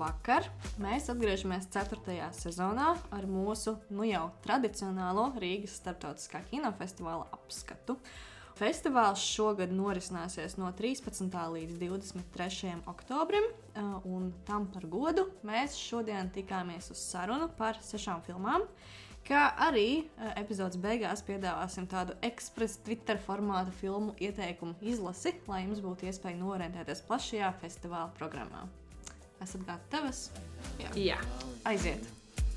Labvakar! Mēs atgriežamies 4. sezonā ar mūsu jau tradicionālo Rīgas starptautiskā kinofestivāla apskatu. Festivāls šogad norisināsies no 13. līdz 23. oktobrim, un tam par godu mēs šodien tikāmies uz sarunu par 6 filmām, kā arī epizodes beigās piedāvāsim tādu ekspresa Twitter formāta filmu ieteikumu izlasi, lai jums būtu iespēja norientēties plašajā festivāla programmā. Esat gatavas? Jā. Aiziet!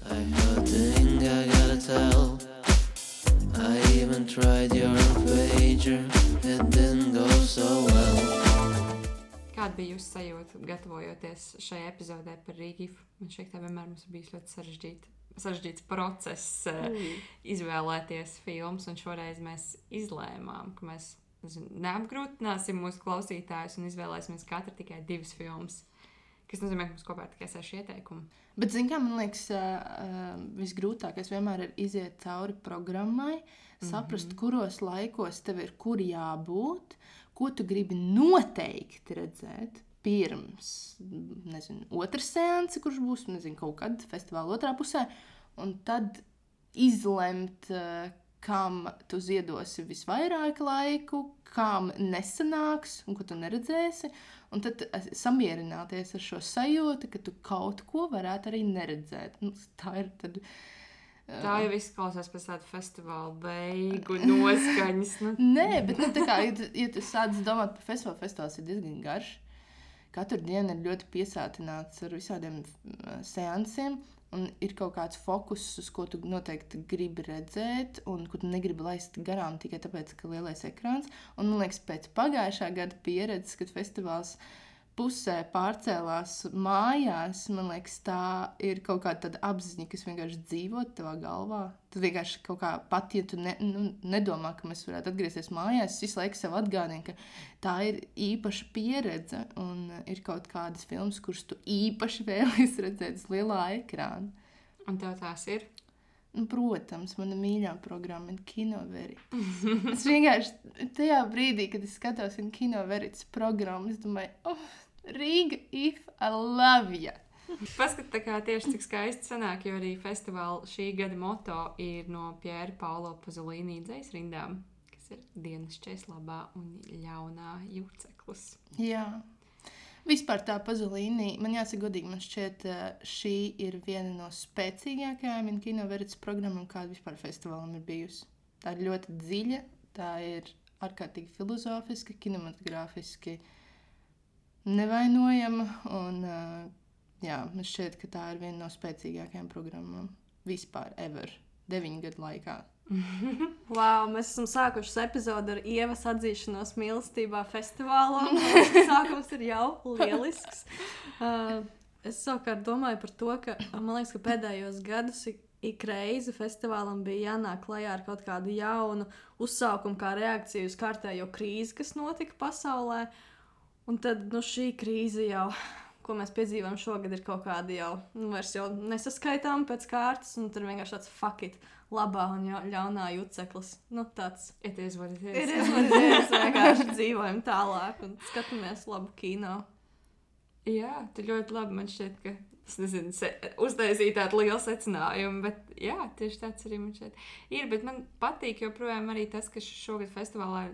I heard the thing I gotta tell. I even tried your pager. It didn't go so well. Kāda bija jūsu sajūta, gatavojoties šai epizodē par Rīgifu? Man šķiet, tā vienmēr mums bijis ļoti sarežģīts process izvēlēties filmas, un šoreiz mēs izlēmām, ka mēs neapgrūtināsim mūsu klausītājus un izvēlēsimies katru tikai 2 filmas, kas nozīmē, ka mums kopā ir tikai 6 ieteikumi. Bet, zin kā, man liekas, visgrūtākais vienmēr ir iziet cauri programmai, saprast, kuros laikos tev ir kur jābūt, ko tu gribi noteikti redzēt pirms, otras seansi, kurš būs, kaut kad festivāla otrā pusē, un tad izlemt, kam tu ziedosi visvairāk laiku, kam nesanāks un ko tu neredzēsi, un tad samierināties ar šo sajūtu, ka tu kaut ko varētu arī neredzēt. Tā ir tad... Tā jau izklausās pēc tāda festivāla beigu noskaņas. Nē, bet tā kā, ja tu sāc domāt par festivālu, festivāls ir diezgan garš. Katru dienu ir ļoti piesātināts ar visādiem seansiem, un ir kaut kāds fokus, uz ko tu noteikti gribi redzēt, un ko tu negribi laist garām tikai tāpēc, ka lielais ekrāns. Un, man liekas, pēc pagājušā gada pieredzes, kad festivāls pusē pārcēlās mājās, man liekas, tā ir kaut kāda tāda apziņa, kas vienkārši dzīvo tavā galvā. Tu vienkārši kaut kā pat, ja tu nedomā, ka mēs varētu atgriezties mājās, es visu laiku sev atgādinu, ka tā ir īpaša pieredze un ir kaut kādas filmas, kuras tu īpaši vēlies redzēt uz lielā ekrāna. Un tev tās ir? Protams, mana mīļā programma ir Kino Verita. Es vienkārši tajā brīdī, kad es skatos Kino Veritas programmu, es domāju, Rīga, if I love you! Paskat, tā kā tieši cik skaisti sanāk, jo arī festivāla šī gada moto ir no Piera Paulo Pasolini dzejsrindām, kas ir dienas česlabā un ļaunā juceklis. Jā. Vispār tā Pasolini, man jāsaka godīgi, man šķiet, šī ir viena no spēcīgākajām Kino Veritas programmām, kāda vispār festivālam ir bijusi. Tā ir ļoti dziļa, tā ir ārkārtīgi filozofiska, kinematogrāfiski nevainojama, un man šķiet, ka tā ir viena no spēcīgākajām programmām vispār ever, 9 gadu laikā. Wow, mēs esam sākušas epizodu ar Ievas atzīšanos mīlestībā festivālā. Sākums ir jau lielisks. Es savukārt domāju par to, ka man liekas, ka pēdējos gadus ik reizi festivālam bija jānāk klajā ar kaut kādu jaunu uzsaukumu kā reakciju uz kārtējo krīzi, kas notika pasaulē. Un tad šī krīze jau, ko mēs piedzīvām šogad, ir kaut kāda jau, vairs jau nesaskaitām pēc kārtas, un tur vienkārši tāds fuck it, labā un ļaunā juceklis. Tāds. It is what it is. It is what it is. Vienkārši dzīvojam tālāk un skatāmies labu kino. Jā, tu ļoti labi, man šķiet, ka uztaisīja tādu lielu secinājumu, bet jā, tieši tāds arī man šķiet ir, bet man patīk joprojām arī tas, ka šogad festivālā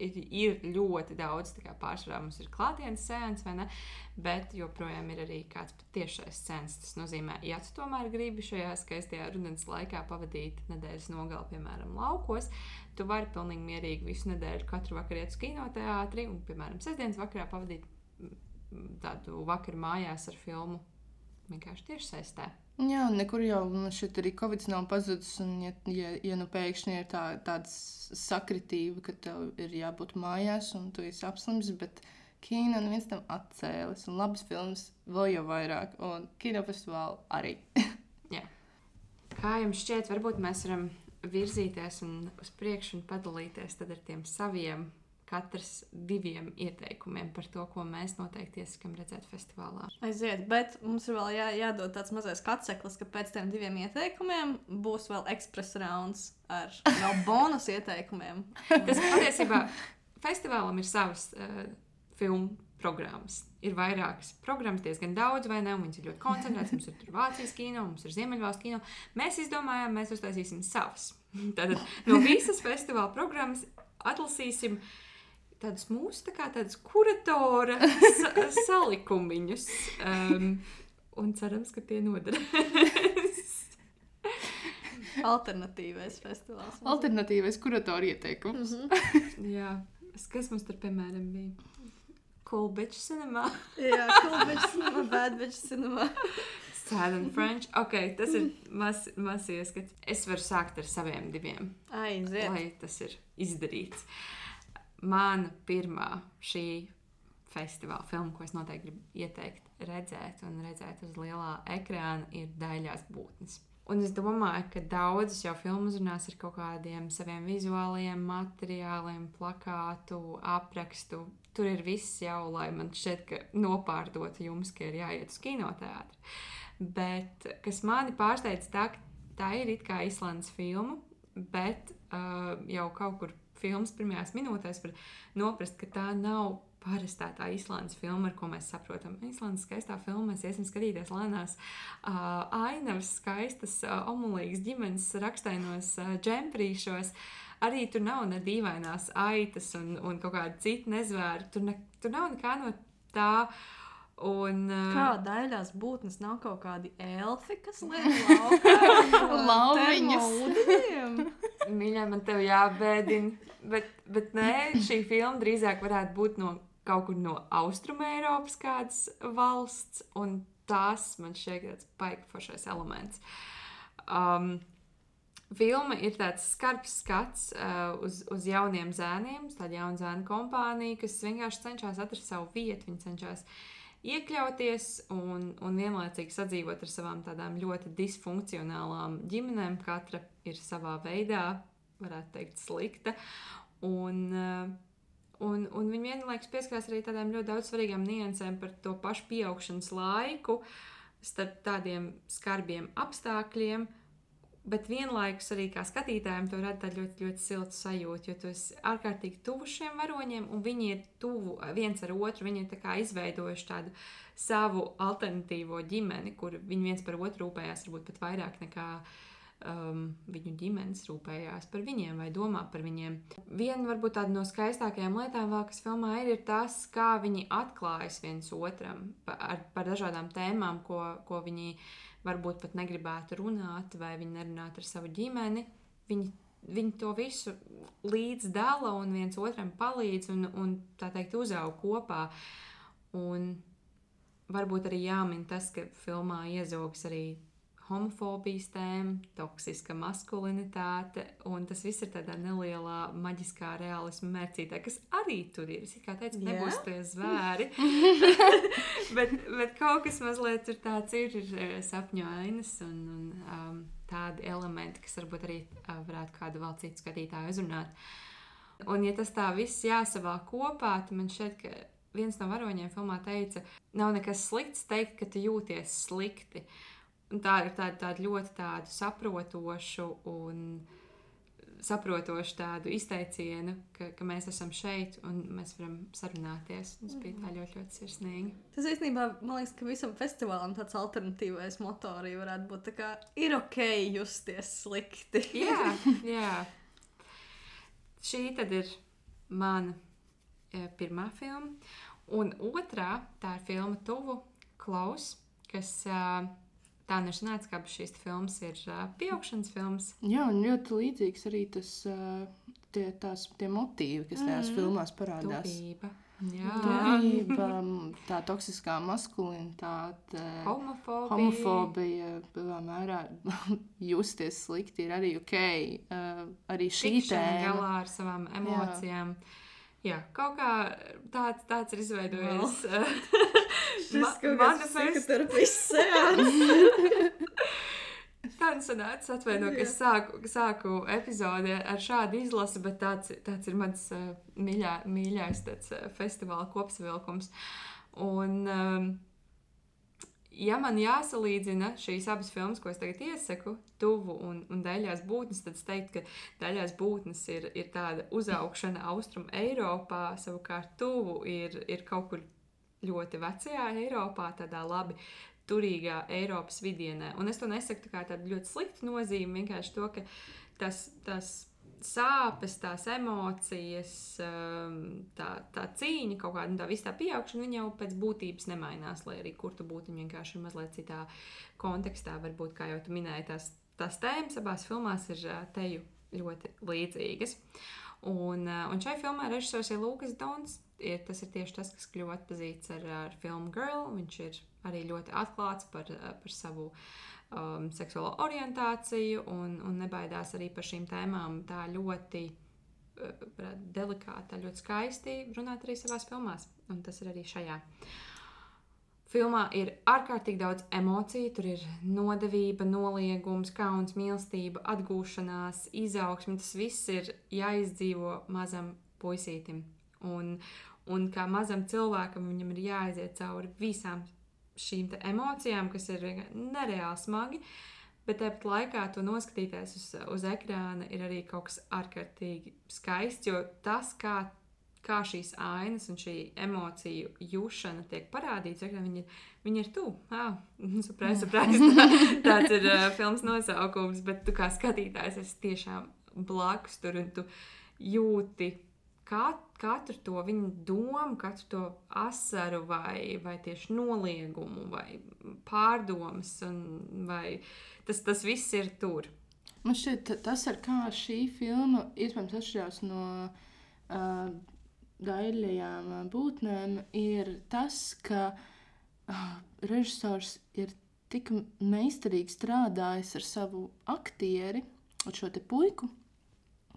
ir ļoti daudz, tā kā pārsvarā mums ir klātienes seans, vai ne, bet joprojām ir arī kāds patiešais seans. Tas nozīmē, ja tu tomēr gribi šajā skaistajā rudens laikā pavadīt nedēļas nogali, piemēram, laukos, tu vari pilnīgi mierīgi visu nedēļu katru vakaru iet uz kinoteātri un, piemēram, sestdienas vakarā pavadīt tādu vakaru mājās ar filmu vienkārši tieši saistē. Jā, un nekur jau šeit arī Covid nav pazudis, un ja pēkšņi ir tāda sakritība, ka tev ir jābūt mājās, un tu esi apslims, bet kino neviens tam atcēlis, un labas filmas vēl jau vairāk, un kinofestivāli arī. Jā. Kā jums šķiet, varbūt mēs varam virzīties uz priekšu un padalīties tad ar tiem saviem katrs 2 ieteikumiem par to, ko mēs noteikti iesakam redzēt festivālā. Aiziet, bet mums ir vēl jādod tāds mazais katseklis, ka pēc tiem 2 ieteikumiem būs vēl express rounds ar vēl bonus ieteikumiem. Tas patiesībā festivālam ir savas filmu programmas. Ir vairākas programmas, diezgan daudz, vai ne? Un viņas ir ļoti koncentrētas. Mums ir tur Vācijas kino, mums ir Ziemeļvalstu kino. Mēs izdomājām, mēs uztaisīsim savas. Tātad no visas festivāla programmas atlasīsim tādus mūsu, tādas kuratora salikumiņus. Un cerams, ka tie noderēs. Alternatīvais festivāls. Alternatīvais kuratora ieteikums. Jā. Kas mums tur, piemēram, bija? Cool Bitch Cinema. Jā, Cool Bitch Cinema, Bad Bitch Cinema. Sad and French. Ok, tas ir maz ieskats. Es varu sākt ar saviem 2. Aiziet. Lai tas ir izdarīts. Mana pirmā šī festivāla filma, ko es noteikti gribu ieteikt redzēt uz lielā ekrāna, ir Daļās būtnes. Un es domāju, ka daudzas jau filmu uzrunās ar kaut kādiem saviem vizuālajiem materiāliem, plakātu, aprakstu. Tur ir viss jau, lai man šķiet, ka nopārdotu jums, ka ir jāiet uz kinoteātri. Bet, kas mani pārsteidz, tā ir it kā Islandes filma, bet jau kaut kur filmas pirmajās minūtēs var noprast, ka tā nav parastā tā Islandes filma, ar ko mēs saprotam. Islandes skaistā filma, mēs iesim skatīties lēnās ainavas, skaistas, omulīgas ģimenes rakstainos džemprīšos. Arī tur nav ne dīvainās aitas un kaut kāda cita nezvēra. Tur nav nekā no tā. Un, kā Daļās būtnes nav kaut kādi elfi, kas liek Lauviņus. Mīļā, man tev jābēdina. Bet nē, šī filma drīzāk varētu būt no kaut kur no Austrumēropas kādas valsts, un tās man šķiet tāds baigi foršais elements. Filma ir tāds skarbs skats uz jauniem zēniem, tāda jauna zēna kompānija, kas vienkārši cenšas atrast savu vietu, viņi cenšas iekļauties un vienlaicīgi sadzīvot ar savām tādām ļoti disfunkcionālām ģimenēm. Katra ir savā veidā, varētu teikt, slikta. Un viņi vienlaikus pieskarās arī tādām ļoti daudz svarīgām niansēm par to pašu pieaugšanas laiku starp tādiem skarbiem apstākļiem, bet vienlaikus arī kā skatītājiem to rada tādu ļoti, ļoti siltu sajūtu, jo tu esi ārkārtīgi tuvu šiem varoņiem, un viņi ir tuvu viens ar otru, viņi ir tā kā izveidojuši tādu savu alternatīvo ģimeni, kur viņi viens par otru rūpējās varbūt pat vairāk nekā viņu ģimenes rūpējās par viņiem vai domā par viņiem. Viena varbūt tāda no skaistākajām lietām vēl, kas filmā ir tas, kā viņi atklājas viens otram par dažādām tēmām, ko viņi varbūt pat negribētu runāt vai viņi nerunāt ar savu ģimeni. Viņi to visu līdz dala un viens otram palīdz un tā teikt uzaug kopā. Un varbūt arī jāmin tas, ka filmā iezogas arī homofobijas tēma, toksiska maskulinitāte, un tas viss ir tādā nelielā maģiskā realisma mērcītē, kas arī tur ir. Es kā teicu, nebūs tie zvēri, bet kaut kas mazliet tur tāds ir sapņu ainas un tādi elementi, kas varbūt arī varētu kādu vēl citu skatītāju uzrunāt. Un ja tas tā viss jāsavā kopā, tad man šķiet, ka viens no varoņiem filmā teica, nav nekas slikts teikt, ka tu jūties slikti. Un tā ir tāda ļoti tādu saprotošu tādu izteicienu, ka mēs esam šeit un mēs varam sarunāties. Tas bija tā ļoti, ļoti sirsnīgi. Tas īstenībā, man liekas, ka visam festivālam tāds alternatīvais moto arī varētu būt tā kā ir ok justies slikti. Jā. Šī tad ir mana pirmā filma. Un otrā, tā ir filma Tuvu, Klaus, kas... Tā nešanāca, kā šīs filmas ir pieaugšanas filmas. Jā, un ļoti līdzīgs arī tie motīvi, kas tajās filmās parādās. Tuvība, tā toksiskā maskulinitāte, homofobija, lielā mērā justies slikti ir arī ok. Arī šī tēma. Galā ar savām emocijām. Jā, kaut kā tāds ir izveidojies. Šis kaut kāds psihoterapijas seans. Tā sanāca, atvaino, ka es sāku epizodi ar šādu izlasi, bet tāds ir mans mīļais festivāla kopsavilkums. Un, ja man jāsalīdzina šīs abas filmas, ko es tagad iesaku, Tuvu un Daļās būtnes, tad es teiktu, ka Daļās būtnes ir tāda uzaugšana Austrum Eiropā, savukārt Tuvu ir kaut kur ļoti vecajā Eiropā, tādā labi turīgā Eiropas vidienē. Un es to nesaku tā kā tādu ļoti sliktu nozīmi, vienkārši to, ka tas sāpes, tās emocijas, tā cīņa kaut kāda, tā viss tā pieaugšana, viņa jau pēc būtības nemainās, lai arī kur tu būtu, viņa vienkārši ir mazliet citā kontekstā, varbūt, kā jau tu minēji, tās tēmas abās filmās ir teju ļoti līdzīgas. Un šai filmā režisors ir Lukas Dons, tas ir tieši tas, kas kļuva atpazīts ar filmu Girl, viņš ir arī ļoti atklāts par savu seksuālo orientāciju un nebaidās arī par šīm tēmām tā ļoti delikāti, ļoti skaisti runāt arī savās filmās. Un tas ir arī šajā. Filmā ir ārkārtīgi daudz emociju, tur ir nodevība, noliegums, kauns, mīlestība, atgūšanās, izaugsme. Tas viss ir jāizdzīvo mazam puisītim. Un kā mazam cilvēkam viņam ir jāaiziet cauri visām šīm emocijām, kas ir nereāli smagi, bet tāpat laikā to noskatīties uz ekrāna ir arī kaut kas ārkārtīgi skaists, jo tas, kā šīs ainas un šī emociju jūšana tiek parādīts, viņi ir tu. Surprise. Tāds ir filmas nosaukums, bet tu kā skatītājs esi tiešām blakus tur un tu jūti katru to viņa domu, katru to asaru vai tieši noliegumu vai pārdomas, vai tas viss ir tur. Man šķiet, tas ar kā šī filma iespējams atšķirās no daļajām būtnēm, ir tas, ka režisors ir tik meistarīgi strādājis ar savu aktieri, ar šo te puiku,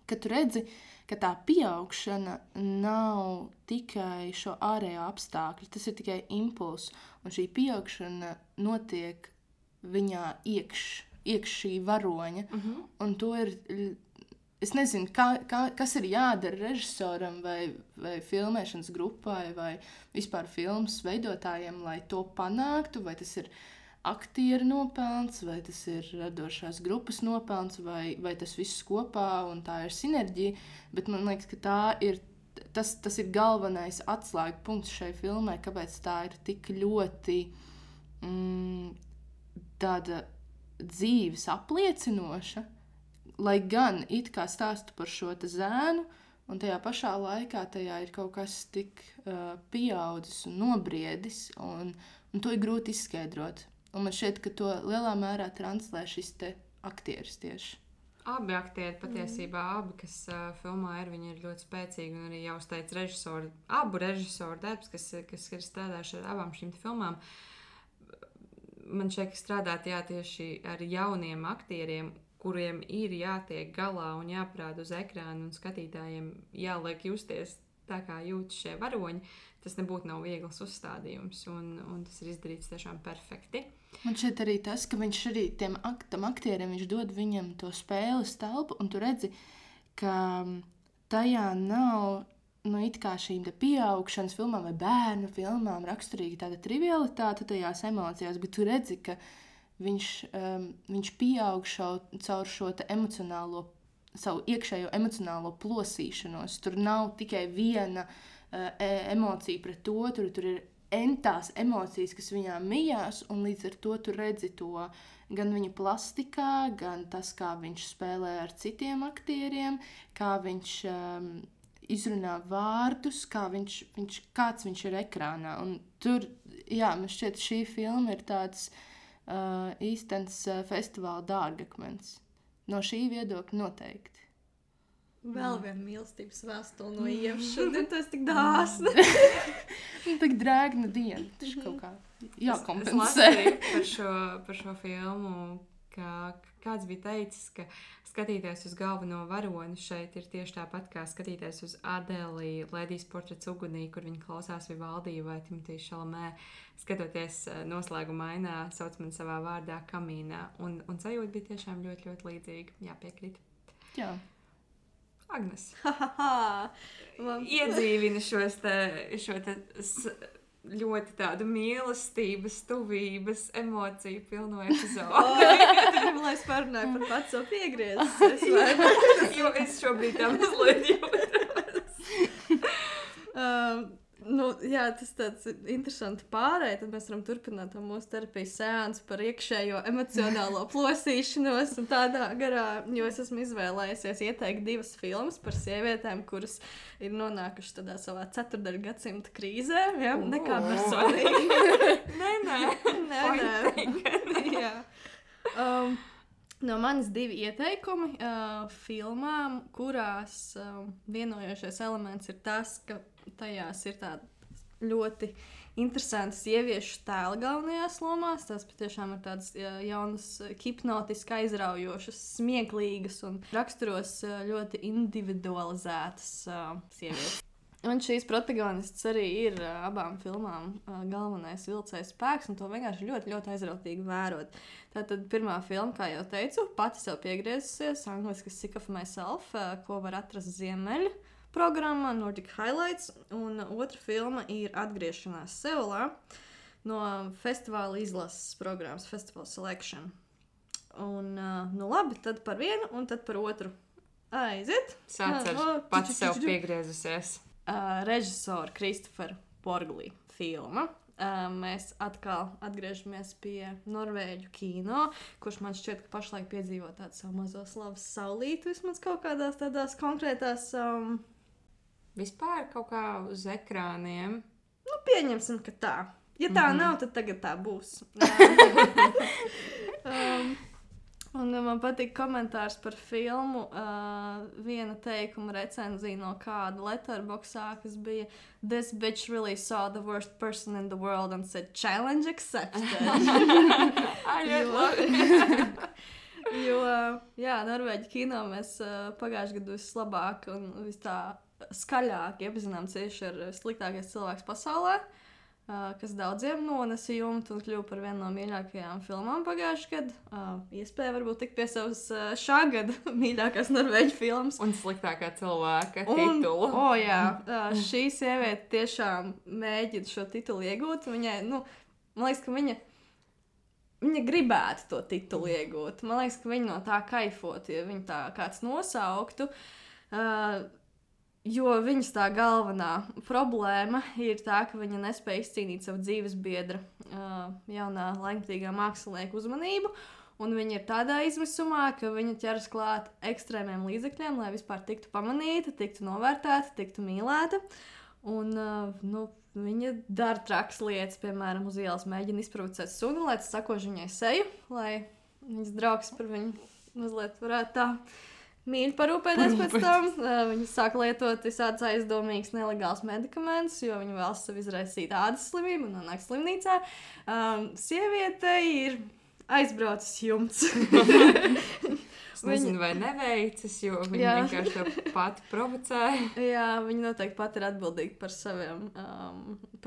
ka tu redzi, ka tā pieaugšana nav tikai šo ārējo apstākļu, tas ir tikai impulss, un šī pieaugšana notiek viņā iekš šī varoņa, un to ir, es nezinu, kas ir jādara režisoram vai filmēšanas grupai vai vispār filmas veidotājiem, lai to panāktu, vai tas ir aktieru nopelns, vai tas ir radošās grupas nopelns, vai tas viss kopā, un tā ir sinerģija, bet man liekas, ka tas ir galvenais atslēga punkts šai filmai, kāpēc tā ir tik ļoti tāda dzīves apliecinoša, lai gan it kā stāstu par šo te zēnu, un tajā pašā laikā tajā ir kaut kas tik pieaudzis un nobriedis, un to ir grūti izskaidrot. Un man šķiet, ka to lielā mērā translē šis te aktieris tieši. Abi aktieri patiesībā, kas filmā viņi ir ļoti spēcīgi, un arī jau uzteica abu režisoru darbs, kas ir strādājuši ar abām šīm filmām. Man šķiet, ka strādāt tieši ar jauniem aktieriem, kuriem ir jātiek galā un jāparāda uz ekrānu, un skatītājiem jāliek justies tā, kā jūtas šie varoņi. Tas nebūtu nav viegls uzstādījums, un tas ir izdarīts tiešām perfekti. Man šķiet arī tas, ka viņš arī tam aktierim viņš dod viņam to spēles telpu, un tu redzi, ka tajā nav it kā šīm pieaugšanas filmām vai bērnu filmām raksturīga tāda trivialitāte tajās emocijās, bet tu redzi, ka viņš pieaug caur šo savu iekšējo emocionālo plosīšanos. Tur nav tikai viena emocija pret otru, tur ir entās emocijas, kas viņā mijās, un līdz ar to tu redzi to gan viņa plastikā, gan tas, kā viņš spēlē ar citiem aktieriem, kā viņš izrunā vārdus, kāds viņš ir ekrānā. Un tur, man šķiet, šī filma ir tāds īstens festivāla dārgakmens. No šī viedokļa noteikti. Vēl viena mīlestības vēstule no Ievas. Šodien tas tik dāsni. Tik drēgna diena. Tas kaut kā Es jākompensē. lasīju par šo filmu, ka kāds bija teicis, ka skatīties uz galveno varoni šeit ir tieši tāpat, kā skatīties uz Adeli Ledijas portrets ugunī, kur viņa klausās Vivaldi vai Timotī Šalamē, skatoties noslēguma ainā, sauc mani savā vārdā kamīnā. Un sajūta bija tiešām ļoti, ļoti līdzīga. Jāpiekrīt. Jā. Agnes. Iedzīvina šo te ļoti tādu mīlestības, tuvības, emociju pilno epizodu. Tu gribi, lai es parunāju par pats savu piegriezes, vai ne? Jo es šobrīd tā mazliet jūtos. Jā, tas tāds interesants pārēj, tad mēs varam turpināt to mūsu terapijas seansu par iekšējo emocionālo plosīšanos un tādā garā, jo es esmu izvēlējusies ieteikt 2 filmas par sievietēm, kuras ir nonākušas tādā savā 4. gadsimta krīzē, ja? Nekā personīgi. Nē. Jā. No manis 2 ieteikumi filmām, kurās vienojošais elements ir tas, ka tajās ir tāda ļoti interesantas sieviešu tēli galvenajās lomās. Tās patiešām ir tādas jaunas, hipnotiski aizraujošas, smieklīgas un raksturos ļoti individualizētas sievietes. Un šīs protagonists arī ir abām filmām galvenais vilcējs spēks, un to vienkārši ļoti, ļoti aizrautīgi vērot. Tātad pirmā filma, kā jau teicu, pati sev piegriezusies, angliski Sick of Myself, ko var atrast Ziemeļu programmā Nordic Highlights, un otra filma ir Atgriešanās Seulā no festivāla izlases programmas Festival Selection. Un, nu labi, tad par vienu un tad par otru. Aiziet! Sāc ar pati sev piegriezusies. Režisora Kristofera Borglī filma. Mēs atkal atgriežamies pie norvēģu kino, kurš man šķiet, ka pašlaik piedzīvo tādu savu mazo slavas saulīti, vismaz kaut kādās tādās konkrētās... Vispār kaut kā uz ekrāniem. Nu, pieņemsim, ka tā. Ja tā nav, tad tagad tā būs. Un man patīk komentārs par filmu, viena teikuma recenzija no kāda Letterboxdā, kas bija "This bitch really saw the worst person in the world and said challenge accepted." Jo, jā, norvēģi kino mēs pagājušajā gadu vislabāk un vis tā skaļāk iepazinām cieši ar sliktākais cilvēks pasaulē, kas daudziem nonesa jumtu un kļuva par vienu no mīļākajām filmām pagājušajā gadā. Iespēja varbūt tikt pie savas šā gada mīļākās norvēģu filmas. Un sliktākā cilvēka titulu. Jā, šī sieviete tiešām mēģina šo titulu iegūt. Viņai, man liekas, ka viņa gribētu to titulu iegūt. Man liekas, ka viņa no tā kaifot, ja viņa tā kāds nosauktu. Jo viņas tā galvenā problēma ir tā, ka viņa nespēja izcīnīt savu dzīvesbiedra jaunā laikmatīgā mākslinieka uzmanību, un viņa ir tādā izmisumā, ka viņa ķeras klāt ekstrēmiem līdzekļiem, lai vispār tiktu pamanīta, tiktu novērtēta, tiktu mīlēta. Un viņa dara trakas lietas, piemēram, uz ielas mēģina izprovocēt suni, lai tas sakož viņai seju, lai viņas draugs par viņu mazliet varētu tā mīļi parūpēties pēc tam. Viņi sāk lietot visādas aizdomīgas nelegālas medikamentus, jo viņi vēlas sev izraisīt ādas slimību un nonāk slimnīcā. Sieviete ir aizbraucis jumts. Es nezinu, vai neveicis, jo viņa vienkārši to pati provocēja. Jā, viņa noteikti pati ir atbildīga par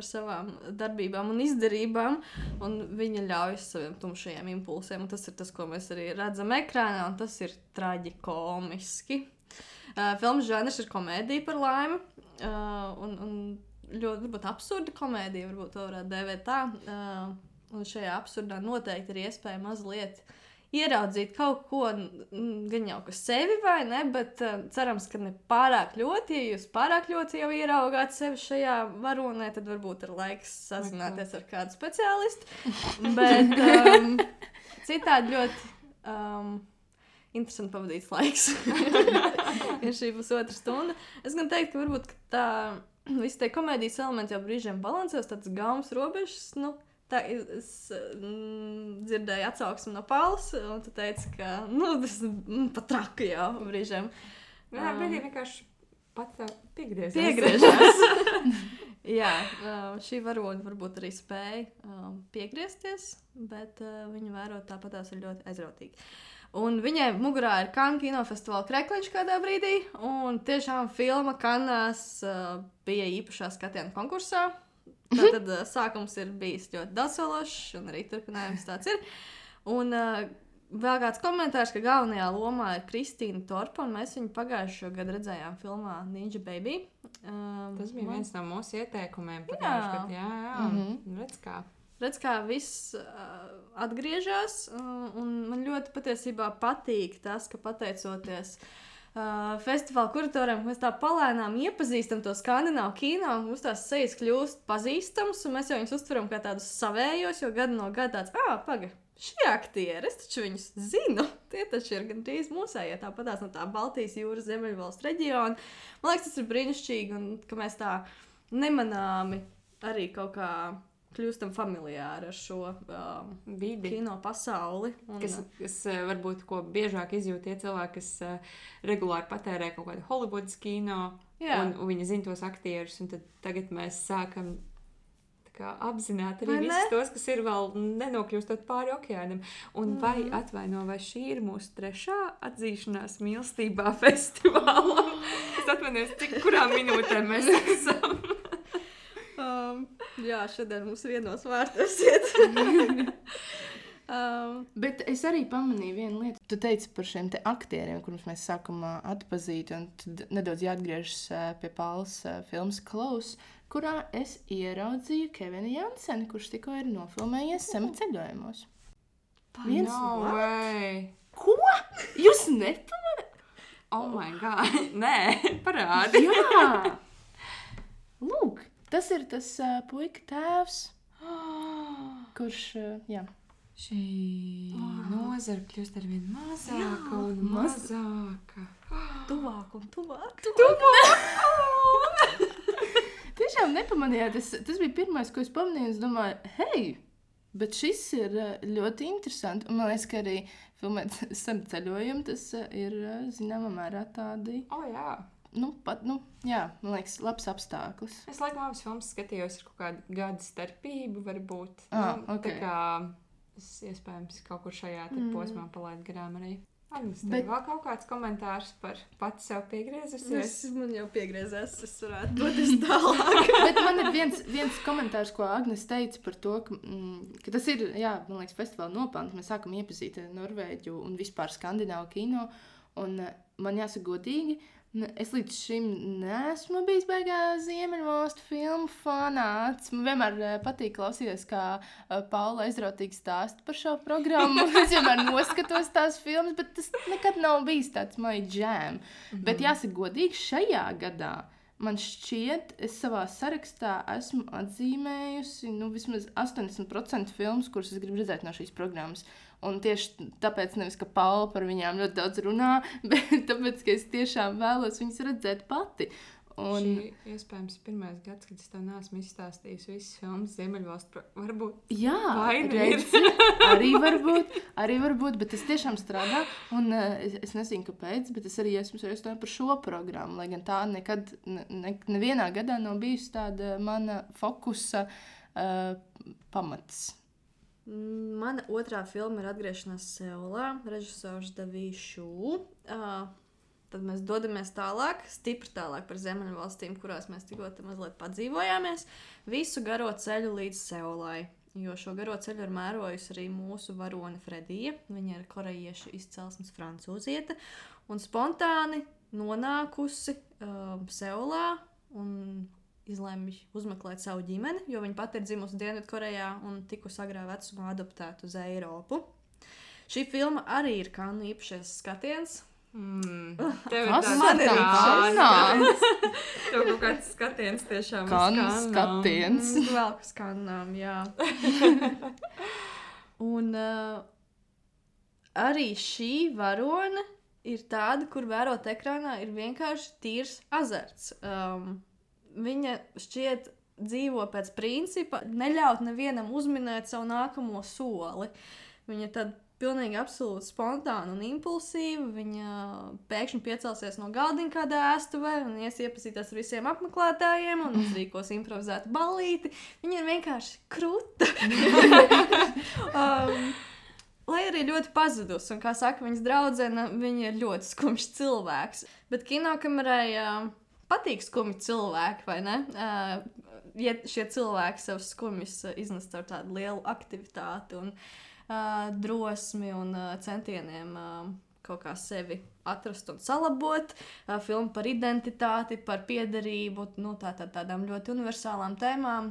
savām darbībām un izdarībām, un viņa ļauj saviem tumšajiem impulsiem, un tas ir tas, ko mēs arī redzam ekrānā, un tas ir traģikomiski. Filmas žanrs ir komēdija par laimi, un ļoti, varbūt, absurda komēdija, varbūt to varētu dēvēt tā, un šajā absurdā noteikti ir iespēja mazliet ieraudzīt kaut ko, gan jau ka sevi vai ne, bet cerams, ka ne pārāk ļoti. Ja jūs pārāk ļoti jau ieraugāt sevi šajā varonē, tad varbūt ir laiks sazināties ar kādu speciālistu. Bet citādi ļoti interesanti pavadīts laiks. Ir šī pusotra stunda. Es gan teiktu, ka varbūt tā visi tie komēdijas elementi jau brīžiem balansēs, tāds gaumas robežas, Tā es dzirdēju atsauksmi no Paulas, un tu teici, ka tas pat traka jau brīžiem. Jā, brīdī vienkārši pat piegriežas. Jā, šī varone varbūt arī spēja piegriezties, bet viņa vērot tāpatās ir ļoti aizrautīgi. Un viņai mugurā ir Cannes kinofestivāla krekliņš kādā brīdī, un tiešām filma Cannesās bija īpašā skatiena konkursā. Tātad sākums ir bijis ļoti dasološs, un arī turpinājums tāds ir. Un vēl kāds komentārs, ka galvenajā lomā ir Kristīna Torpa, un mēs viņu pagājušo gadu redzējām filmā Ninja Baby. Tas bija viens no mūsu ieteikumiem pagājušo gadu. Jā. Redz, kā viss atgriežas, un man ļoti patiesībā patīk tas, ka pateicoties festivāla kuratoriem, mēs tā palēnām iepazīstam to skandināvu kino, mums tās sejas kļūst pazīstams, un mēs jau viņus uztveram kā tādus savējos, jo gadu no gada tāds, paga, šie aktieri, es taču viņus zinu, tie taču ir gandrīz mūsējie, tāpatās no tā Baltijas jūras Ziemeļvalstu reģiona. Man liekas, tas ir brīnišķīgi, un ka mēs tā nemanāmi arī kaut kā kļūstam familiāri ar šo Vidi. kino pasauli. Un, Kas varbūt ko biežāk izjūt tie cilvēki, kas regulāri patērē kaut kādu Hollywoods kino, Jā. un viņi zina tos aktierus, un tad tagad mēs sākam tā kā apzināt arī Vai ne? visus tos, kas ir vēl nenokļūstot pāri okeānam. Un vai šī ir mūsu 3. atzīšanās mīlestībā festivālam? Es atvainojos, kurā minūtē mēs esam. jā, šodien mums vienos vārtos iet. Bet es arī pamanīju vienu lietu. Tu teici par šiem te aktieriem, kurus mēs sākam atpazīt, un tad nedaudz jāatgriežas pie Paulas filmas Close, kurā es ieraudzīju Kevinu Janseni, kurš tikko ir nofilmējies Sema ceļojumos. Viens No way! Ko? Jūs nepamanāt? Oh my god! Nē, parādi! Jā! Lūk, tas ir tas puika tēvs, kurš, jā. Šī nozara kļūst arvien mazāka un mazāka. Tuvāk un tuvāk. Tiešām nepamanījāt, tas bija pirmais, ko es pamanīju, es domāju, hei, bet šis ir ļoti interesanti, un man liekas, ka arī filmēt Sema ceļojumu, tas ir zināmā mērā tādi, Jā. jā, man liekas, labs apstākļus. Es laikam abas filmas skatījos ar kaut kādu gadu starpību, varbūt. Ok. Tā kā es iespējams kaut kur šajā posmā palaidu garām arī. Agnes, tev vēl kaut kāds komentārs par pati sev piegriezusies? Man jau piegriezās, es varētu doties tālāk. Bet man ir viens komentārs, ko Agnes teica par to, ka tas ir, jā, man liekas, festivāla nopelns. Mēs sākam iepazīt Norvēģu un vispār skandināvu kino, un man jāsaka godīgi, es līdz šim neesmu bijis baigā Ziemeļvalstu filmu fanāts. Man vienmēr patīk klausīties, kā Paula aizrautīgi stāsta par šo programmu. Es vienmēr noskatos tās filmas, bet tas nekad nav bijis tāds my jam. Bet jāsaka godīgi, šajā gadā man šķiet, es savā sarakstā esmu atzīmējusi vismaz 80% filmas, kuras es gribu redzēt no šīs programmas. Un tieši tāpēc nevis, ka Paula par viņām ļoti daudz runā, bet tāpēc, ka es tiešām vēlos viņas redzēt pati. Un... Šī iespējams pirmais gads, kad es tev neesmu izstāstījis visas filmas Ziemeļvalstu, varbūt. Jā, Vaina arī varbūt, bet tas tiešām strādā. Un es nezinu, kāpēc, bet es arī esmu sarunājis par šo programmu, lai gan tā nekad, nevienā gadā nav bijusi tāda mana fokusa pamats. Mana otrā filma ir Atgriešanās Seulā, režisors Davīšu. Tad mēs dodamies tālāk, stipri tālāk par Ziemeļvalstīm, kurās mēs tikko mazliet padzīvojāmies. Visu garo ceļu līdz Seulai, jo šo garo ceļu ir mērojusi arī mūsu varone Fredija. Viņa ir korejiešu izcelsmes francūziete un spontāni nonākusi Seulā un izlēma uzmeklēt savu ģimeni, jo viņa pati ir dzimusi Dienvidkorejā un tikusi agrā vecumā adoptēta uz Eiropu. Šī filma arī ir Kannu īpašais skatiens. Tev Kas man ir tāds? Tev kaut kāds skatiens tiešām Kannu skatiens. Vēl kas Kannām, jā. Un arī šī varone ir tāda, kur vērot ekrānā ir vienkārši tīrs azarts. Viņa šķiet dzīvo pēc principa neļaut nevienam uzminēt savu nākamo soli. Viņa tad pilnīgi absolūti spontāna un impulsīva. Viņa pēkšņi piecelsies no galdiņa kādā ēstuvē un ies iepazīties ar visiem apmeklētājiem un uzrīkos improvizētu ballīti. Viņa ir vienkārši kruta. Lai arī ļoti pazudus, un kā saka viņas draudzene, viņa ir ļoti skumjš cilvēks. Bet kinokamerai patīk skumji cilvēki, vai ne? Ja šie cilvēki savus skumjus iznes ar tādu lielu aktivitāti un drosmi un centieniem kaut kā sevi atrast un salabot. Filma par identitāti, par piederību, tādām ļoti universālām tēmām.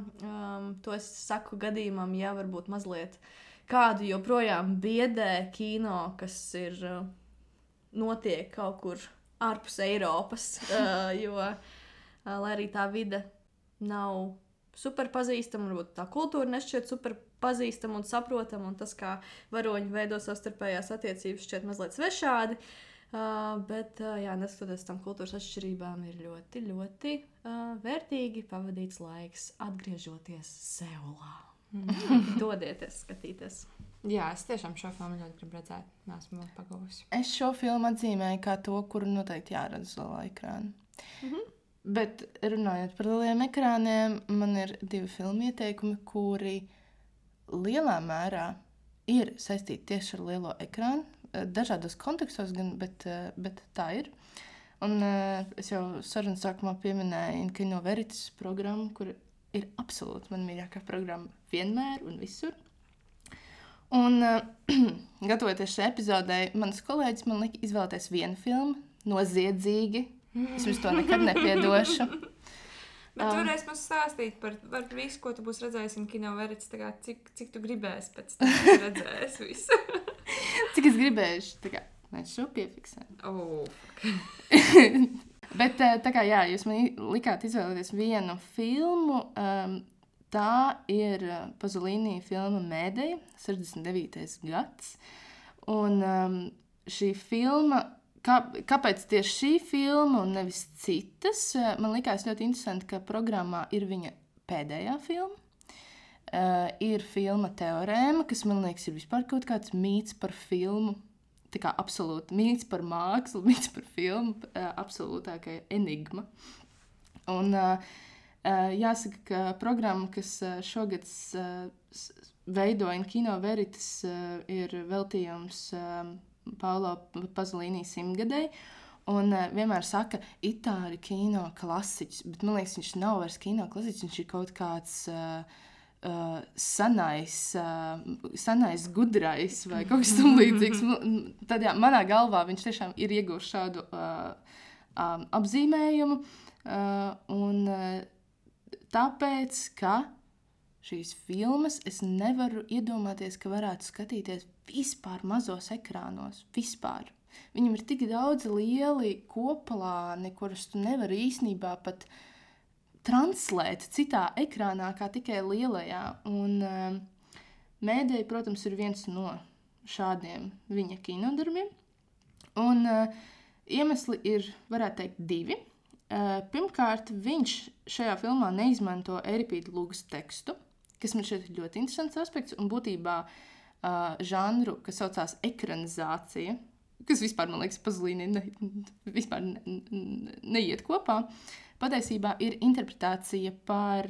To es saku gadījumam, ja varbūt mazliet kādu joprojām biedē kino, kas ir notiek kaut kur ārpus Eiropas, jo, lai arī tā vide nav super pazīstama, varbūt tā kultūra nešķiet super pazīstama un saprotama, un tas, kā varoņi veido savstarpējās attiecības, šķiet mazliet svešādi. Bet, jā, neskatoties tam kultūras atšķirībām, ir ļoti, ļoti vērtīgi pavadīts laiks atgriežoties Seulā. Dodieties, skatīties. Jā, es tiešām šo filmu ļoti gribu redzēt. Nesmu vēl pagūsi. Es šo filmu atzīmēju kā to, kuru noteikti jāredz lielā ekrāna. Bet runājot par lieliem ekrāniem, man ir 2 filmu ieteikumi, kuri lielā mērā ir saistīti tieši ar lielo ekrānu. Dažādos kontekstos gan, bet tā ir. Un es jau sarunas sākumā pieminēju Kino Veritas programmu, kur ir absolūti man mīļākā programma vienmēr un visur. Un gatavoties šai epizodei, mans kolēģis man lika izvēlēties vienu filmu, Noziedzīgi. Es jums to nekad nepiedošu. Bet varēs mums stāstīt par visu, ko tu būsi redzējis Kino Veritas, tā kā cik tu gribēsi pēc tam redzēs visu. Cik es gribēšu, tā kā mēs šo piefiksējam. Bet tā kā jā, jūs man likāt izvēlēties vienu filmu, tā ir Pazolini filma Mēdeja, 69. gads. Un šī filma, kāpēc tieši šī filma un nevis citas, man likās ļoti interesanti, ka programmā ir viņa pēdējā filma. Ir filma Teorēma, kas man liekas ir vispār kaut kāds mīts par filmu. Tā kā absolūti mīts par mākslu, mīts par filmu, absolūtākai enigma. Un jāsaka, ka programma, kas šogad veidoja Kino Veritas, ir veltījums Paulo Pazolini 100-gadei. Un vienmēr saka, itāļu kino klasiķis, bet man liekas, viņš nav vairs kino klasiķis, viņš ir kaut kāds senais gudrais vai kaut kas tam līdzīgs. Tad jā, manā galvā viņš tiešām ir ieguvis šādu apzīmējumu. Un tāpēc, ka šīs filmas es nevaru iedomāties, ka varētu skatīties vispār mazos ekrānos. Vispār. Viņam ir tik daudz lieli koplāni, kurus tu nevari īstenībā pat translēt citā ekrānā, kā tikai lielajā. Un Mēdeja, protams, ir viens no šādiem viņa kinodarbiem. Un iemesli ir, varētu teikt, 2. Pirmkārt, viņš šajā filmā neizmanto Eiripīda Lugas tekstu, kas man šeit ir ļoti interesants aspekts, un būtībā žanru, kas saucās ekranizācija, kas vispār, man liekas, Pazolini vispār neiet kopā, patiesībā ir interpretācija par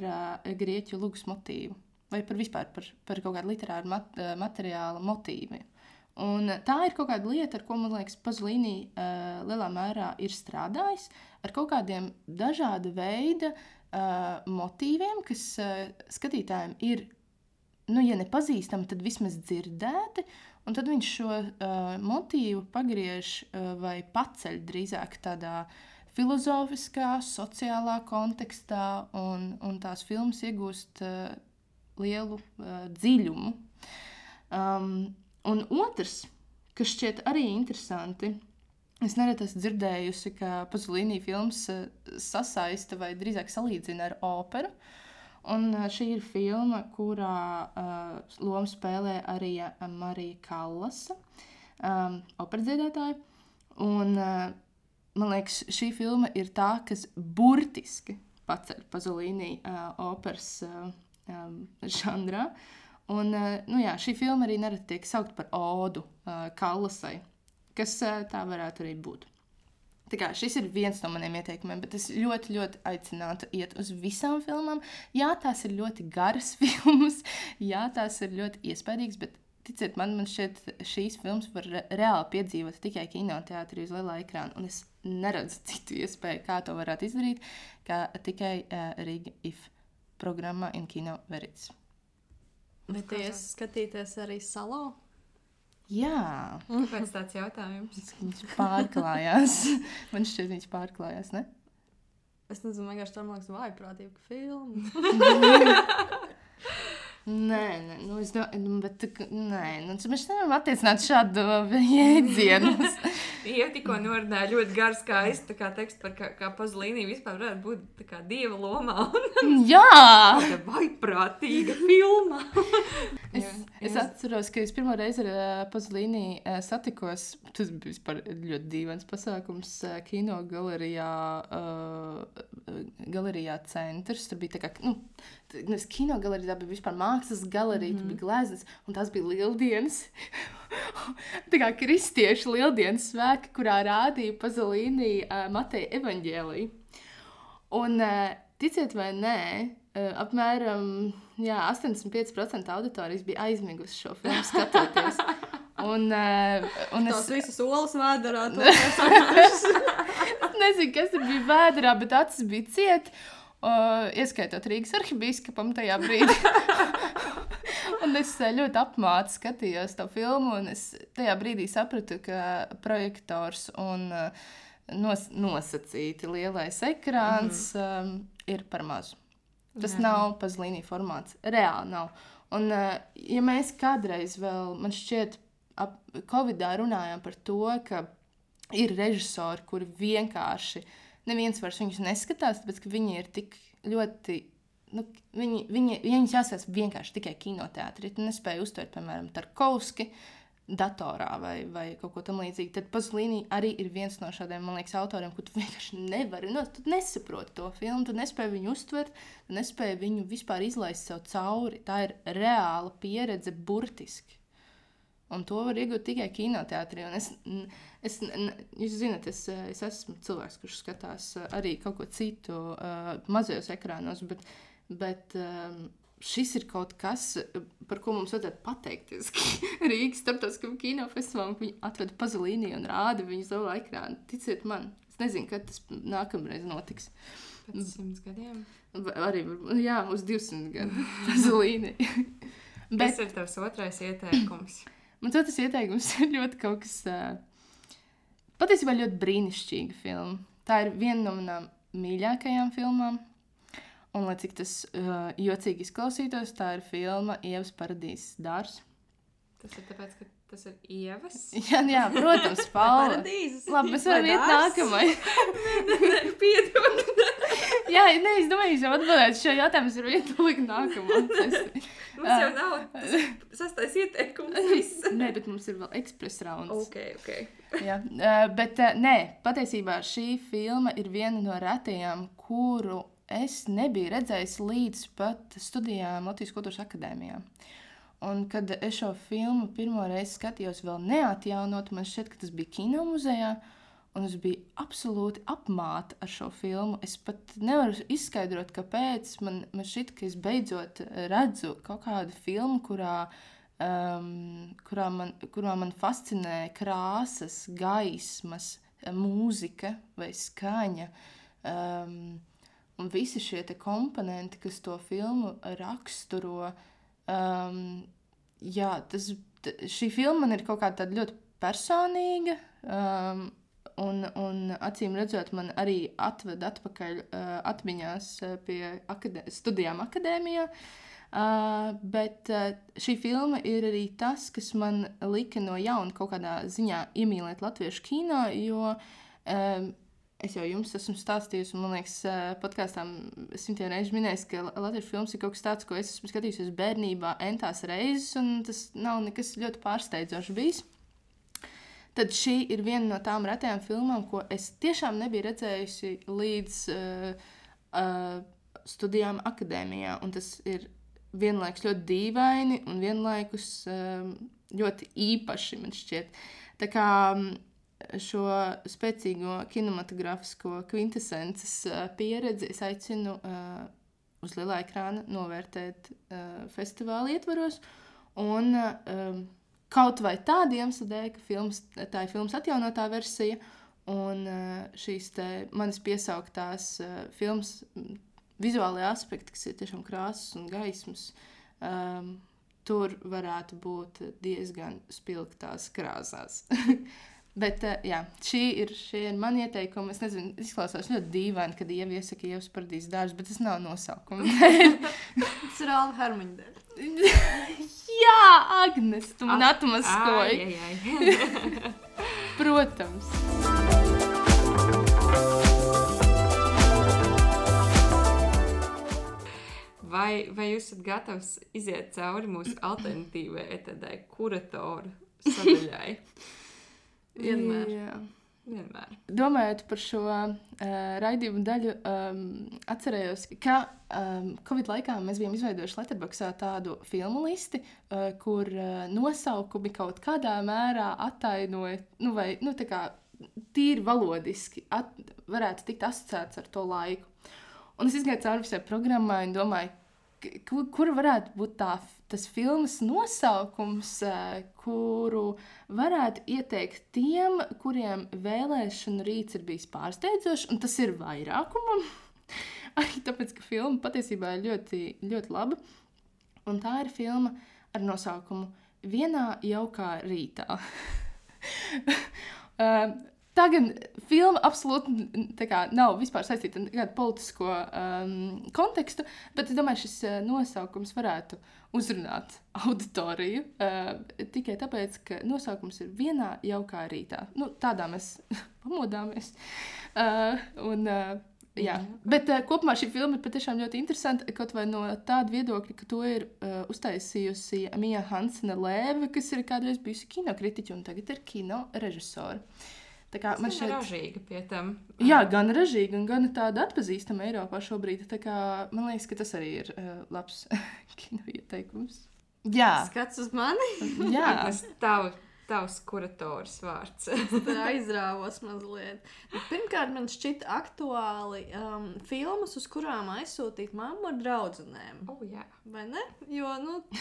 grieķu lugas motīvu, vai vispār par kaut kādu literāru materiālu motīvu. Un tā ir kaut kāda lieta, ar ko, man liekas, Pazolini lielā mērā ir strādājis, ar kaut kādiem dažāda veida motīviem, kas skatītājiem ir, ja nepazīstami, tad vismaz dzirdēti, un tad viņš šo motīvu pagriež vai paceļ drīzāk tādā filozofiskā, sociālā kontekstā, un tās filmas iegūst lielu dziļumu. Un otrs, kas šķiet arī interesanti, es nereti esmu dzirdējusi, ka Pazolini filmas sasaista vai drīzāk salīdzina ar operu. Un šī ir filma, kurā lomu spēlē arī Marija Kallasa, operadziedātāja. Un man liekas, šī filma ir tā, kas burtiski paceļ Pazolini operas žanrā. Un šī filma arī nereti tiek saukt par odu Kallasai, kas tā varētu arī būt. Tā kā šis ir viens no maniem ieteikumiem, bet es ļoti, ļoti aicinātu iet uz visām filmām. Jā, tās ir ļoti garas filmas, jā, tās ir ļoti iespaidīgas, bet ticiet man šķiet, šīs filmas var reāli piedzīvot tikai kinoteātrī uz lielā ekrāna, un es neredzu citu iespēju, kā to varētu izdarīt, kā tikai Riga IF programmā Kino Veritas. Bet jūs skatīties arī Salo? Jā. Kāpēc tāds jautājums? Viņš pārklājās. Man šķiet, viņš pārklājās, ne? Es nezinu, vienkārši tā man liekas vājprātīga filma. Nē, es domāju, bet mēs nevaram attiecināt šādu jēdzienu. Jau tikko norunāja ļoti garu skaistu tekstu par kā Pazolīni vispār varētu būt tā kā dieva lomā. Jā! Tāda vaiprātīga filma. Es atceros, ka es pirmo reizi ar Pazolīni satikos, tas bija vispār ļoti dīvains pasākums kino galerijā centrs. Tur bija tā kā, kino galerija, tā bija vispār mākslas galerija, tur bija gleznas, un tās bija lieldienas. Tā kā kristiešu lieldienas svēki, kurā rādīja Pazolīni Mateja evaņģēliju. Un, ticiet vai nē, apmēram 85% auditorijas bija aizmigusi šo filmu skatoties. Un Tās visas olas vēderā. Es nezinu, kas tur bija vēderā, bet acis bija ciet. Ieskaitot Rīgas arhibīskapam tajā brīdī. Un es ļoti apmāti skatījos to filmu, un es tajā brīdī sapratu, ka projektors un nosacīti lielais ekrāns ir par mazu. Tas nav Pazolīni formāts. Reāli nav. Un ja mēs kādreiz vēl, man šķiet, Covidā runājām par to, ka ir režisori, kuri vienkārši neviens vairs viņus neskatās, tāpēc, ka viņi ir tik ļoti, viņus jāsās vienkārši tikai kinoteātrī. Tu nespēji uztvert, piemēram, Tarkovski datorā vai kaut ko tam līdzīgi. Tad Pazolīni arī ir viens no šādiem, man liekas, autoriem, kur tu vienkārši nevari, tu nesaproti to filmu, tu nespēji viņu uztvert, tu nespēji viņu vispār izlaist sev cauri. Tā ir reāla pieredze burtiski. Un to var iegūt tikai kinoteātrī. Un jūs zināt, es esmu cilvēks, kurš skatās arī kaut ko citu mazajos ekrānos, bet šis ir kaut kas, par ko mums vajadzētu pateikties Rīgas starptautiskam kinofestivālam, ka viņi atveda Pazolīni un rāda viņu savā ekrānu. Ticiet man, es nezinu, kad tas nākamreiz notiks. Pēc 100 gadiem? Arī, jā, uz 200 gadu Pazolīni. Kas ir tavs otrais ieteikums? Mans otrs ieteikums ir ļoti kaut kas, patiesībā ļoti brīnišķīga filma. Tā ir viena no manām mīļākajām filmām. Un, lai cik tas jocīgi izklausītos, tā ir filma Ievas paradīzes dārzs. Tas ir tāpēc, ka tas ir Ievas? Jā, protams, Paula. Paradīzes. Labi, mēs varam iet nākamai. Piedod. Jā, es domāju, jūs jau atbildēt šo jautājumu, es varu iet likt nākamā. Mums jau nav sastais ieteikums viss. Nē, bet mums ir vēl ekspres rauns. Ok. Jā, bet nē, patiesībā šī filma ir viena no retajām, kuru es nebiju redzējis līdz pat studijām Latvijas Kultūras akadēmijā. Un kad es šo filmu pirmo reizi skatījos vēl neatjaunot, man šķiet, ka tas bija kino muzejā, un es biju absolūti apmāta ar šo filmu. Es pat nevaru izskaidrot, kāpēc man šķiet, ka es beidzot redzu kaut kādu filmu, kurā man fascinē krāsas, gaismas, mūzika vai skaņa. Un visi šie te komponenti, kas to filmu raksturo, šī filma man ir kaut kāda tāda ļoti personīga, un acīm redzot, man arī atved atpakaļ atmiņās pie studijām akadēmijā, bet šī filma ir arī tas, kas man lika no jauna kaut kādā ziņā iemīlēt latviešu kino, jo es jau jums esmu stāstījusi, un man liekas, podkāstām 100 reižu minējis, ka latviešu filmas ir kaut kas tāds, ko es esmu skatījusies bērnībā entās reizes, un tas nav nekas ļoti pārsteidzošs bijis. Tad šī ir viena no tām retajām filmām, ko es tiešām nebiju redzējusi līdz studijām akadēmijā, un tas ir vienlaikus ļoti dīvaini un vienlaikus ļoti īpaši, man šķiet. Tā kā šo spēcīgo kinematografisko kvintesences pieredzi es aicinu uz lielā ekrāna novērtēt festivāla ietvaros, un kaut vai tādu iemeslu dēļ, ka tā ir filmas atjaunotā versija, un šīs te manis piesauktās filmas vizuālajā aspekti, kas ir tiešām krāsas un gaismas, tur varētu būt diezgan spilgtās krāsās. Bet, jā, šī ir mani ieteikumi. Es nezinu, izklausās ļoti dīvaini, kad Ieva iesaka Ievas paradīzes dārzs, bet tas nav nosaukums. Tas ir Alva Hermaņa dēļ. Jā, Agnes, tu man atmaskoji. Ai. Protams. Vai jūs esat gatavs iziet cauri mūsu alternatīvai tādai kuratoru sadaļai? Vienmēr. Jā. Vienmēr. Domājot par šo raidījumu daļu, atcerējos, ka Covid laikā mēs bijām izveidojuši Letterboxdā tādu filmu listi, kur nosaukumi kaut kādā mērā attainoja, tā kā tīri valodiski varētu tikt asociēts ar to laiku. Un es izgāju cauri visai programmai un domāju, kura varētu būt tas filmas nosaukums, kuru varētu ieteikt tiem, kuriem vēlēšanu rīts ir bijis pārsteidzošs, un tas ir vairākumam. Arī tāpēc, ka filma patiesībā ir ļoti, ļoti laba. Un tā ir filma ar nosaukumu Vienā jaukā rītā. Tā gan filma absolūti nav vispār saistīta ar kādu politisko kontekstu, bet es domāju, šis nosaukums varētu uzrunāt auditoriju tikai tāpēc, ka nosaukums ir Vienā jaukā rītā. Tādā mēs pamodāmies. Jā. Bet kopumā šī filma ir patiešām ļoti interesanta, kaut vai no tāda viedokļa, ka to ir uztaisījusi Mija Hansene-Lēve, kas ir kādreiz bijusi kinokritiķa un tagad ir kino režisora. Tā kā man šeit ražīga pie tam. Jā, gan ražīga, gan tāda atpazīstama Eiropā šobrīd. Tā kā man liekas, ka tas arī ir labs kino ieteikums. Jā. Skats uz mani. Jā. Tas tavs kurators vārds. Tā aizrāvos mazliet. Pirmkārt, man šķita aktuāli filmas, uz kurām aizsūtīt mammu ar draudzenēm. Jā. Vai ne? Jo,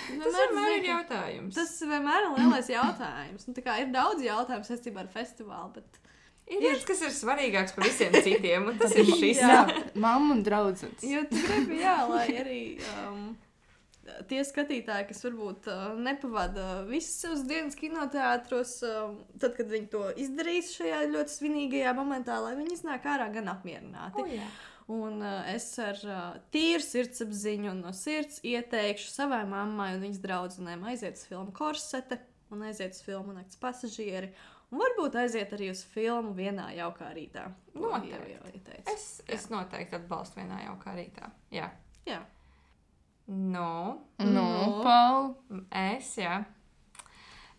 tas vienmēr ir jautājums. Tas vienmēr ir lielais jautājums. Tā kā ir daudz jautājumu saistībā ar festivālu, bet ir kas ir svarīgāks par visiem citiem, un tas ir šis. Jā, mamma un draudzenes. Jo tu gribi, lai arī tie skatītāji, kas varbūt nepavada visas savas dienas kinoteātros, tad, kad viņi to izdarīs šajā ļoti svinīgajā momentā, lai viņi iznāk ārā gan apmierināti. Un es ar tīru sirdsapziņu un no sirds ieteikšu savai mammai un viņas draudzenēm aiziet uz filmu Korsete un aiziet uz filmu Nakts pasažieri. Un varbūt aiziet arī uz filmu Vienā jaukā rītā. Noteikti. Es noteikti atbalstu Vienā jaukā rītā. Jā. Paul.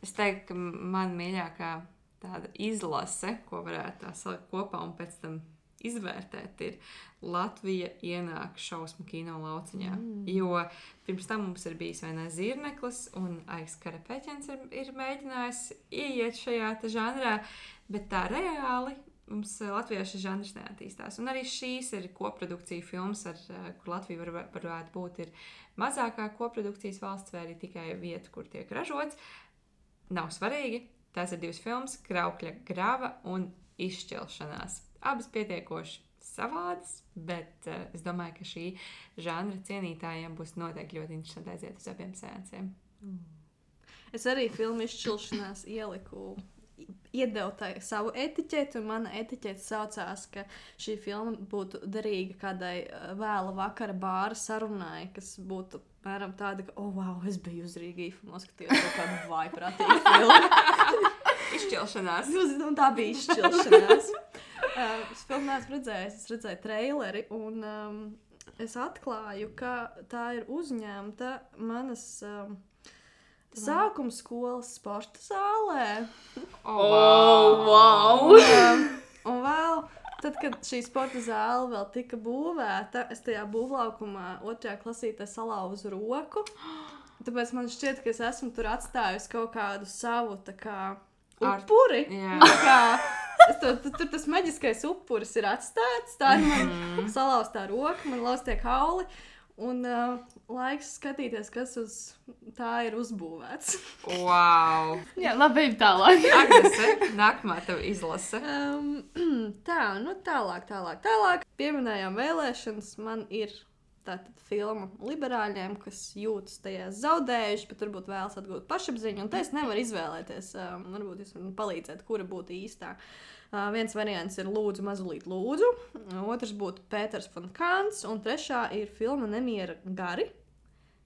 Es teiktu, ka man mīļākā tāda izlase, ko varētu tā salikt kopā un pēc tam izvērtēt, ir Latvija ienāk šausmu kino lauciņā. Jo pirms tam mums ir bijis vai ne Zirneklis un Aiks Karapeķens ir mēģinājis ieiet šajā žanrā, bet tā reāli mums Latvijā šis žanrs neattīstās. Un arī šīs ir koprodukcija filmas, kur Latvija varētu būt ir mazākā koprodukcijas valsts vai arī tikai vieta, kur tiek ražots. Nav svarīgi. Tās ir divas filmas, Kraukļa grava un Izšķelšanās. Abas pietiekoši savādas, bet es domāju, ka šī žanra cienītājiem būs noteikti ļoti interesanti aiziet uz abiem seansiem. Es arī filmu Izšķelšanās iedevu savu etiķeti, un mana etiķete saucās, ka šī filma būtu derīga kādai vēla vakara bāra sarunai, kas būtu mēram tāda, ka, wow, es biju uz Rīgīfu un noskatījos kaut kādu vaiprātīgu filmu. Izšķelšanās. Un tā bija Izšķelšanās. Es filmu neesmu redzējis, es redzēju traileri, un es atklāju, ka tā ir uzņemta manas sākuma skolas sporta zālē. Wow! Un vēl, tad, kad šī sporta zāle vēl tika būvēta, es tajā būvlaukumā 2. klasītē salauzu roku. Tāpēc man šķiet, ka es esmu tur atstājusi kaut kādu savu upuri. Tur tas maģiskais upuris ir atstāts. Tā ir man salauztā roka, man lauztie kauli. Un laiks skatīties, kas uz tā ir uzbūvēts. Wow! Jā, labi, ejam tālāk. Agnese, nākamā tev izlase. Tālāk. Pieminējām vēlēšanas. Man ir tātad filma liberāļiem, kas jūtas tajās zaudējuši, bet varbūt vēlas atgūt pašapziņu. Un te es nevaru izvēlēties. Varbūt jūs varat palīdzēt, kura būtu īstā. Viens variants ir Lūdzu, mazulīt lūdzu, otrs būtu Pēters von Kāns, un trešā ir filma Nemiera gari,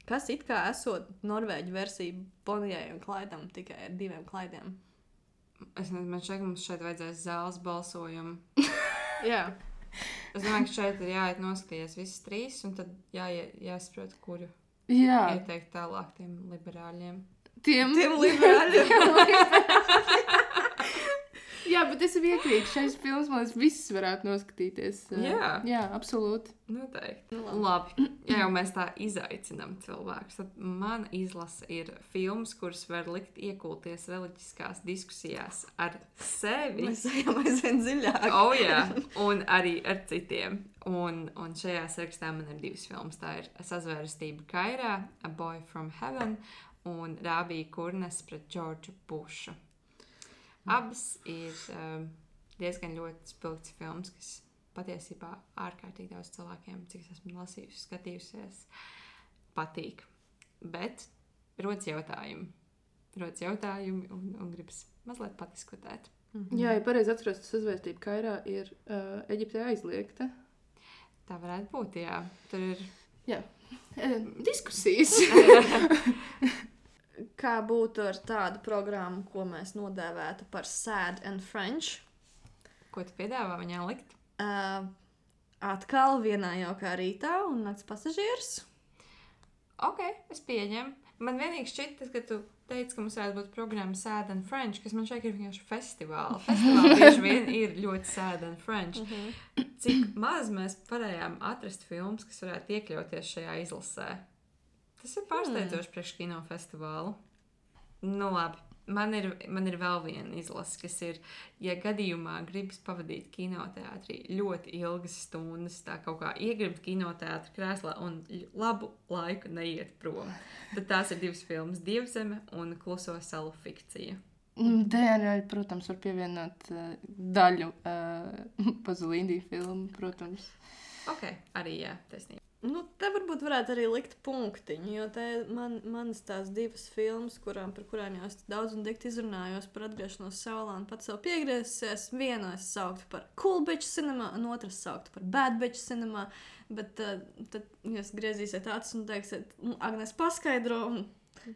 Kas it kā esot Norvēģu versija Bonijai un Klaidam, tikai ar 2 Klaidiem. Es nezinu, man šeit mums šeit vajadzēs zāles balsojumu. Jā. Es domāju, ka šeit ir jāiet noskatīties visas 3, un tad jāsaprot, kuru Jā, ieteikt tālāk tiem liberāļiem. tiem liberāļiem. Jā, bet es iekrītu šais filmas, man liekas, viss varētu noskatīties. Jā, absolūti. Noteikti. Labi. Ja jau mēs tā izaicinām cilvēkus, tad man izlase ir filmas, kuras var likt iekulties reliģiskās diskusijās ar sevi. Mēs ejam aizvien dziļāk. Jā, un arī ar citiem. Un šajā sarakstā man ir 2 filmas. Tā ir Sazvērestība Kairā, A Boy from Heaven un Rābija Kurnes pret Džordžu Bušu. Abas ir diezgan ļoti spilgts filmas, kas patiesībā ārkārtīgi daudz cilvēkiem, cik es esmu lasījusi, skatījusies, patīk. Bet rodas jautājumi. Un gribas mazliet patiskotēt. Jā, ja pareizi atceros, tas Sazvērestība Kairā ir Eģiptē aizliegta. Tā varētu būt, jā. Tur ir... Jā, diskusijas. Kā būtu ar tādu programmu, ko mēs nodēvētu par Sad and French? Ko tu piedāvā viņā likt? Atkal vienā jaukā rītā un nakts pasažieris. Ok, es pieņemu. Man vienīgi šķita, ka tu teici, ka mums varētu būt programma Sad and French, kas man šeit ir vienkārši festivāli. Festivāli bieži vien ir ļoti Sad and French. Cik maz mēs varējām atrast filmas, kas varētu iekļauties šajā izlasē. Tas ir pārsteidzoši priekš kinofestivālu. Nu labi, man ir vēl viena izlase, kas ir, ja gadījumā gribas pavadīt kinoteātrī ļoti ilgas stundas, tā kaut kā iegribt kinoteātra krēslā un labu laiku neiet prom. Tad tās ir 2 filmas, Dievzeme un Kluso salu fikcija. DNR, protams, var pievienot daļu Pazolīnī filmu, protams. Ok, arī jā, taisnība. Nu, te varbūt varētu arī likt punktiņu, jo te manas tās 2 filmas, par kurām jau es daudz un dikti izrunājos par atgriešanos Seulā un pats sev piegriezusies. Vienu es sauktu par Cool Bitch Cinema, un otru es sauktu par Bad Bitch Cinema, bet tad jūs griezīsiet acis un teiksiet, Agnes paskaidro, un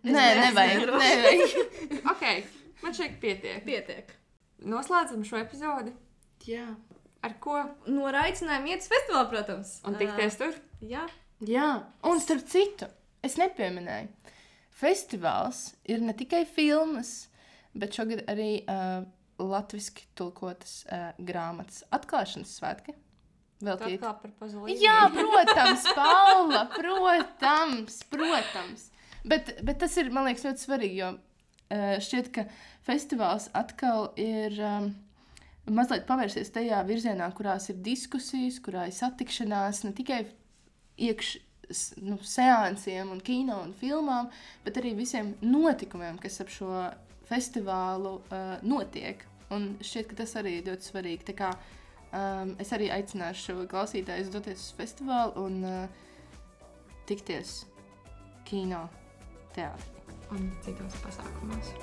Nē, nevajag. Ok, man šeit pietiek. Pietiek. Noslēdzam šo epizodi. Jā. Ar ko? No aicinājuma iet uz festivālu, protams. Un tikties tur? Jā. Jā, un starp citu, es nepieminēju. Festivāls ir ne tikai filmas, bet šogad arī latviski tulkotas grāmatas atklāšanas svētki. Veltīt. Atkal par Pazolīni. Jā, protams, Paula, protams. Bet tas ir, man liekas, ļoti svarīgi, jo šķiet, ka festivāls atkal ir mazliet pavērsies tajā virzienā, kurās ir diskusijas, kurā ir satikšanās, ne tikai seansiem un kino un filmām, bet arī visiem notikumiem, kas ap šo festivālu notiek. Un šķiet, ka tas arī ir ļoti svarīgi. Tā kā es arī aicināšu klausītājus doties uz festivālu un tikties kino teātrī. Un citos pasākumos.